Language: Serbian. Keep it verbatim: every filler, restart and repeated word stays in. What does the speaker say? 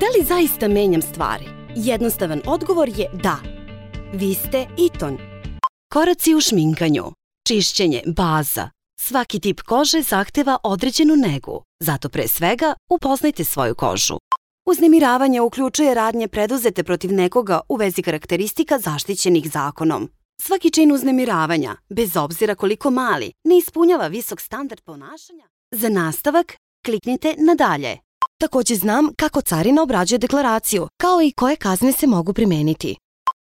Da li zaista menjam stvari? Jednostavan odgovor je da. Vi ste Iton. Koraci u šminkanju. Čišćenje, baza. Svaki tip kože zahteva određenu negu, zato pre svega upoznajte svoju kožu. Uznemiravanje uključuje radnje preduzete protiv nekoga u vezi karakteristika zaštićenih zakonom. Svaki čin uznemiravanja, bez obzira koliko mali, ne ispunjava visok standard ponašanja. Za nastavak, kliknite na dalje. Takođe znam kako carina obrađuje deklaraciju, kao i koje kazne se mogu primeniti.